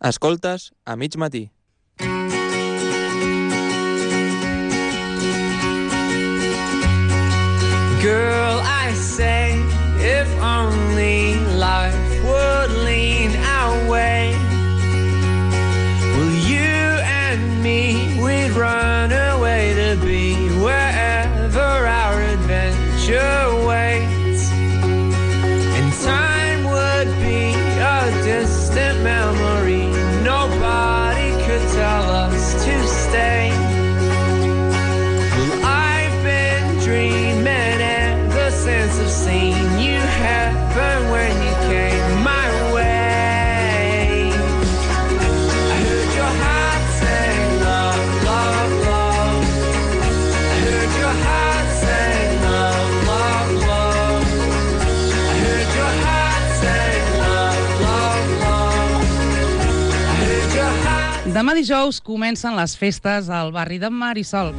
Escoltes a mig matí. Girl, I say, if only life would lean our way. Will you and me, we'd run away to be wherever our adventure waits. And time would be a distant memory. Nobody could tell us to stay. Well, I've been dreaming ever since I've seen you happen when you came my way. I heard your heart say love, love, love. I heard your heart say love, love, love. I heard your heart say love, love, love. I heard your heart. Demà dijous comencen les festes al barri de Marisol.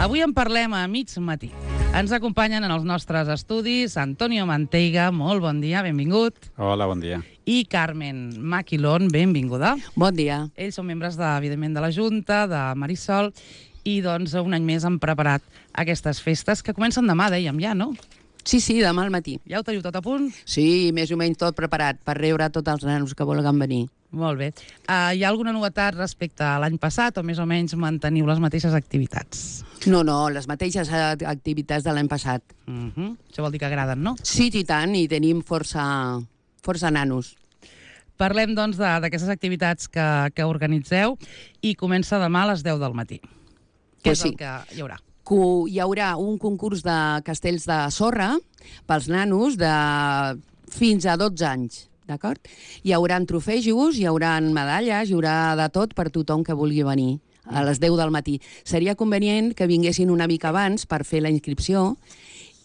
Avui en parlem a mig matí. Ens acompanyen en els nostres estudis Antonio Manteiga, molt bon dia, benvingut. Hola, bon dia. I Carmen Maquilón, benvinguda. Bon dia. Ells són membres, evidentment, de la Junta, de Marisol, i doncs un any més han preparat aquestes festes que comencen demà, dèiem ja, no? Sí, demà al matí. Ja ho teniu tot a punt? Sí, més o menys tot preparat per rebre tots els nanos que vulguin venir. Molt bé. Hi ha alguna novetat respecte a l'any passat o més o menys manteniu les mateixes activitats? No, les mateixes activitats de l'any passat. Això vol dir que agraden, no? Sí, i tant, i tenim força nanos. Parlem, doncs, d'aquestes activitats que organitzeu i comença demà a les 10 del matí. Què és el que hi haurà? Hi haurà un concurs de castells de sorra pels nanos de fins a 12 anys, d'acord? Hi haurà trofejos, hi haurà medalles, hi haurà de tot per tothom que vulgui venir a les 10 del matí. Seria convenient que vinguessin una mica abans per fer la inscripció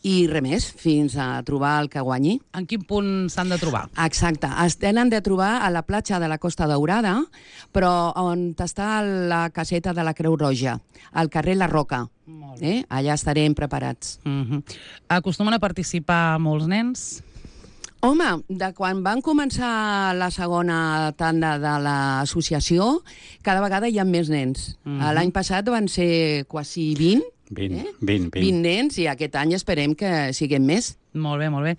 i res més, fins a trobar el que guanyi. En quin punt s'han de trobar? Exacte. Es tenen de trobar a la platja de la Costa Daurada, però on està la caseta de la Creu Roja, al carrer La Roca. Allà estarem preparats. Acostumen a participar molts nens? Home, de quan van començar la segona tanda de l'associació, cada vegada hi ha més nens. L'any passat van ser quasi 20. 20 nens, i aquest any esperem que siguem més. Molt bé, molt bé.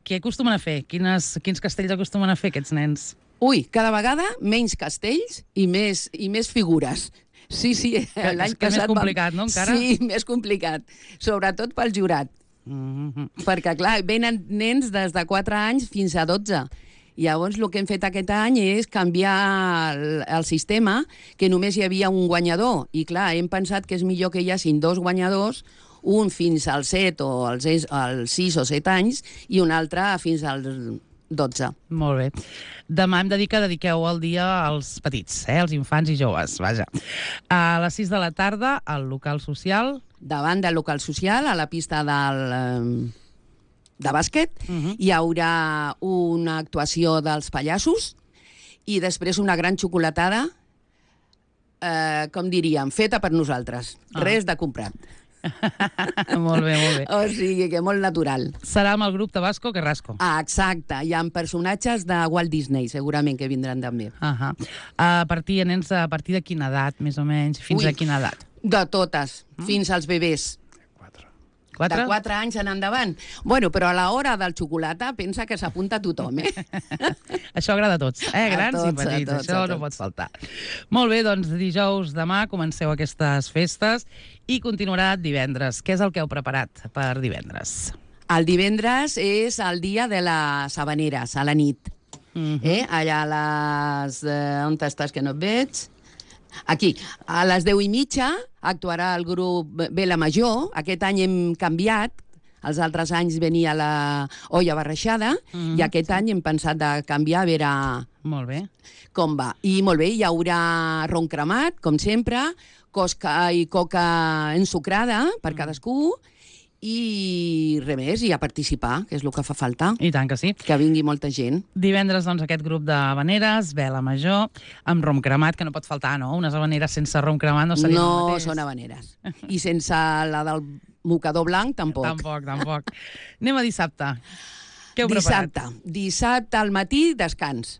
Què acostumen a fer? Quins castells acostumen a fer aquests nens? Ui, cada vegada menys castells i més figures. Sí, l'any passat... És més complicat, no, encara? Sí, més complicat. Sobretot pel jurat. Perquè, clar, venen nens des de 4 anys fins a 12. Llavors, el que hem fet aquest any és canviar el sistema, que només hi havia un guanyador. I, clar, hem pensat que és millor que hi hagin 2 guanyadors, un fins als 7 o als 6 o 7 anys i un altre fins als 12. Molt bé. Demà hem de dir que dediqueu el dia als petits, als infants i joves, vaja. A les 6 de la tarda, al local social... Davant del local social, a la pista de bàsquet, hi haurà una actuació dels pallassos i després una gran xocolatada, com diríem, feta per nosaltres. Res de comprat. Molt bé, molt bé. O sigui que molt natural. Serà amb el grup Tabasco Carrasco. Exacte. Hi ha personatges de Walt Disney, segurament, que vindran també. Nens, a partir de quina edat, més o menys? Fins a quina edat? De totes, fins als bebès. 4? De 4 anys en endavant. Bueno, però a l'hora del xocolata pensa que s'apunta tothom, Això agrada a tots, grans i petits, això no pot faltar. Molt bé, doncs dijous demà comenceu aquestes festes i continuarà divendres. Què és el que heu preparat per divendres? El divendres és el dia de les Havaneres, a la nit. Allà a les... on estàs que no et veig? Aquí, a les 10:30 actuarà el grup Vela Major. Aquest any hem canviat. Els altres anys venia la olla barrejada i aquest any hem pensat de canviar a veure com va. I molt bé, hi haurà ron cremat, com sempre, cosca i coca ensucrada per cadascú i res més, i a participar, que és el que fa falta. I tant que sí. Que vingui molta gent. Divendres, doncs, aquest grup d'havaneres, Vela Major, amb rom cremat, que no pot faltar, no? Unes havaneres sense rom cremat no serien el mateix. No són havaneres. I sense la del mocador blanc, tampoc. Tampoc. Anem a dissabte. Què heu preparat? Dissabte al matí, descans.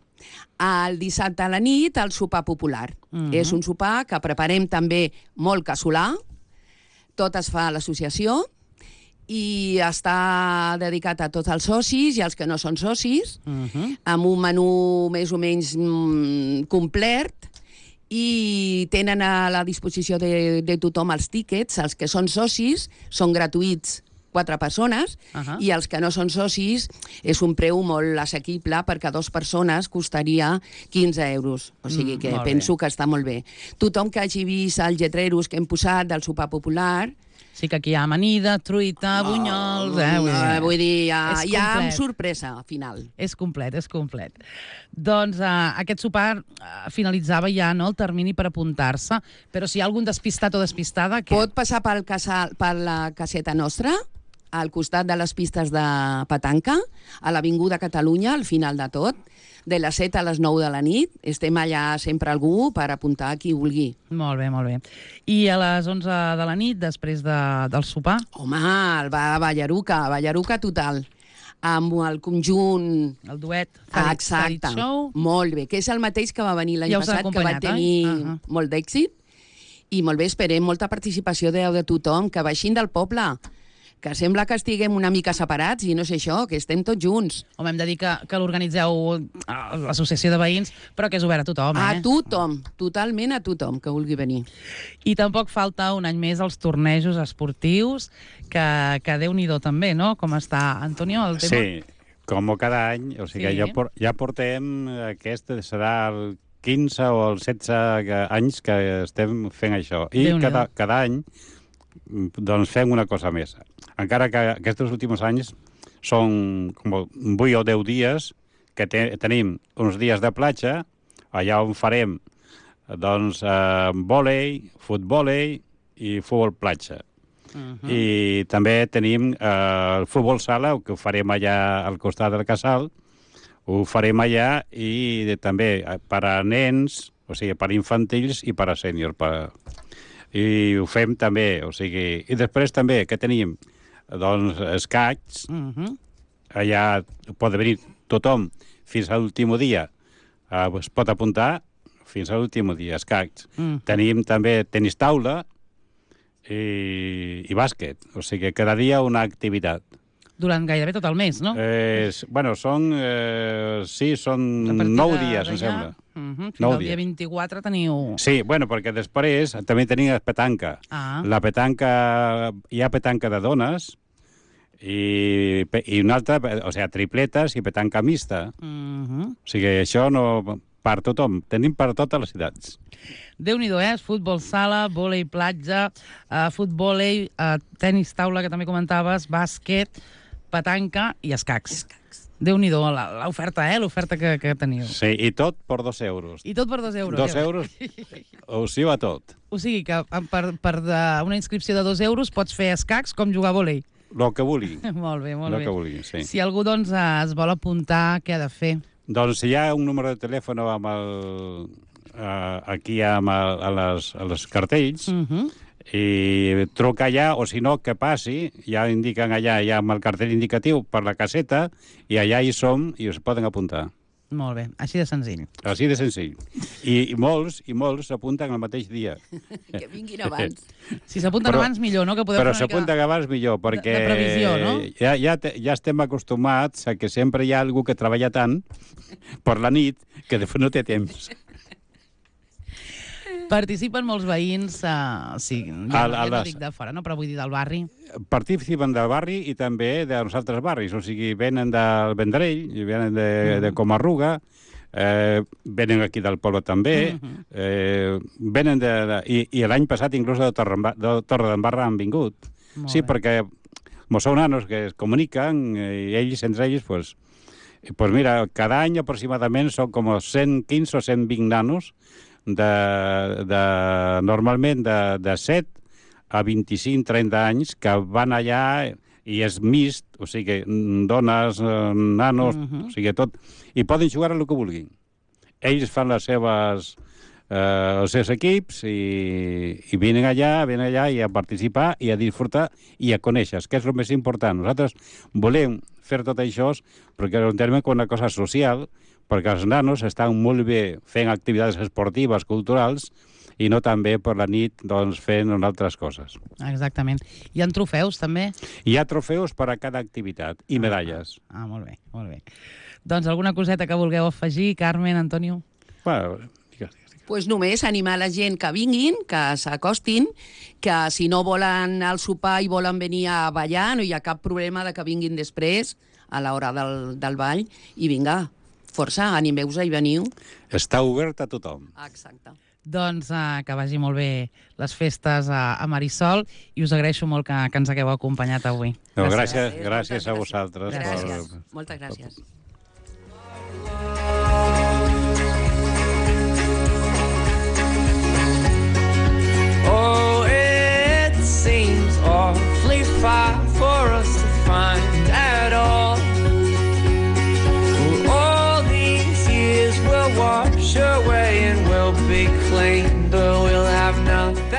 El dissabte a la nit, el sopar popular. És un sopar que preparem també molt casolà, tot es fa a l'associació, i està dedicat a tots els socis i als que no són socis, amb un menú més o menys complet, i tenen a la disposició de tothom els tíquets. Els que són socis són gratuïts, 4 persones, i els que no són socis és un preu molt assequible, perquè a 2 persones costaria 15 euros. O sigui que penso que està molt bé. Tothom que hagi vist els lletreros que hem posat del sopar popular... Sí que aquí hi ha amanida, truita, bunyols... Vull dir, hi ha amb sorpresa, al final. És complet, és complet. Doncs aquest sopar finalitzava ja, no?, el termini per apuntar-se, però si hi ha algun despistat o despistada... Pot passar per la caseta nostra, al costat de les pistes de petanca, a l'Avinguda Catalunya, al final de tot, de les 7 a les 9 de la nit. Estem allà sempre algú per apuntar qui vulgui. Molt bé, molt bé. I a les 11 de la nit, després del sopar? Home, ballaruca total, amb el conjunt... El duet Exacte, Show. Molt bé, que és el mateix que va venir l'any passat, que va tenir molt d'èxit, i molt bé, esperem molta participació de tothom, que baixin del poble, que sembla que estiguem una mica separats, i no sé això, que estem tots junts. Home, hem de dir que l'organitzeu l'associació de veïns, però que és obert a tothom, A tothom, totalment a tothom que vulgui venir. I tampoc falta un any més els tornejos esportius, que Déu-n'hi-do també, no? Com està, Antonio, el tema? Sí, com cada any, o sigui, ja portem, aquest serà el 15 o el 16 anys que estem fent això. I cada any doncs fem una cosa més. Encara que aquests últims anys són com 8 o 10 dies que tenim uns dies de platja, allà on farem doncs vòlei, futbòlei i futbol platja. I també tenim el futbol sala, que ho farem allà al costat del casal, ho farem allà, i també per a nens, o sigui, per a infantils i per a sèniors. I ho fem també, o sigui... I després també, que tenim? Doncs escacs, allà pot venir tothom fins a l'últim dia, es pot apuntar fins a l'últim dia, escacs. Tenim també tenis taula i bàsquet, o sigui, cada dia una activitat. Durant gairebé tot el mes, no? Bueno, són 9 dies, em sembla. Fins al dia 24 teniu... Sí, bueno, perquè després també tenim petanca. La petanca, hi ha petanca de dones i una altra, o sigui, tripletes i petanca mixta. O sigui, això no... Per tothom, tenim per totes les edats. Déu-n'hi-do, futbol sala, vòlei platja, futbòlei, tenis taula, que també comentaves, bàsquet, petanca i escacs. Déu-n'hi-do, l'oferta, l'oferta que teniu. Sí, i tot per 2 euros. I tot per 2 euros. 2 euros, o sí va tot. O sigui que per una inscripció de 2 euros pots fer escacs com jugar a vòlei. El que vulgui. Molt bé, molt bé. El que vulgui, sí. Si algú doncs es vol apuntar, què ha de fer? Doncs hi ha un número de telèfon amb aquí a les cartells, i truca allà, o si no, que passi, ja indiquen allà, ja amb el cartell indicatiu per la caseta, i allà hi som i us poden apuntar. Molt bé, així de senzill. Així de senzill. I molts s'apunten el mateix dia. Que vinguin abans. Si s'apunten abans, millor, no? Que però s'apunten abans millor, perquè de previsió, no? Ja estem acostumats a que sempre hi ha algú que treballa tant per la nit que després no té temps. Participen molts veïns, sí, no dic de fora, no? Però vull dir del barri. Participen del barri i també dels altres barris, o sigui, venen del Vendrell, venen de Comarruga, venen aquí del poble també, venen i l'any passat inclús de Torredembarra han vingut. Sí, perquè són nanos que es comuniquen, i ells, entre ells, pues mira, cada any aproximadament són com 115 o 120 nanos, normalment de 7 a 25-30 anys, que van allà i és mixt, o sigui, dones, nanos, o sigui, tot, i poden jugar a el que vulguin. Ells fan els seus equips i venen allà i a participar i a disfrutar i a conèixer, que és el més important. Nosaltres volem fer tot això perquè ho entenem com una cosa social, perquè els nanos estan molt bé fent activitats esportives, culturals, i no també per la nit doncs, fent altres coses. Exactament. Hi ha trofeus, també? Hi ha trofeus per a cada activitat i medalles. Molt bé, molt bé. Doncs alguna coseta que vulgueu afegir, Carmen, Antonio? Bueno, pues només animar la gent que vinguin, que s'acostin, que si no volen al sopar i volen venir a ballar, no hi ha cap problema de que vinguin després, a l'hora del ball, i vinga, força, animeu-vos i veniu. Està obert a tothom. Exacte. Doncs que vagi molt bé les festes a Marisol i us agraeixo molt que ens hagueu acompanyat avui. No, gràcies a vosaltres. Gràcies. Moltes gràcies. Oh, it seems awfully far for us to find at all. All these years will wash away and we'll be clean, but we'll have nothing.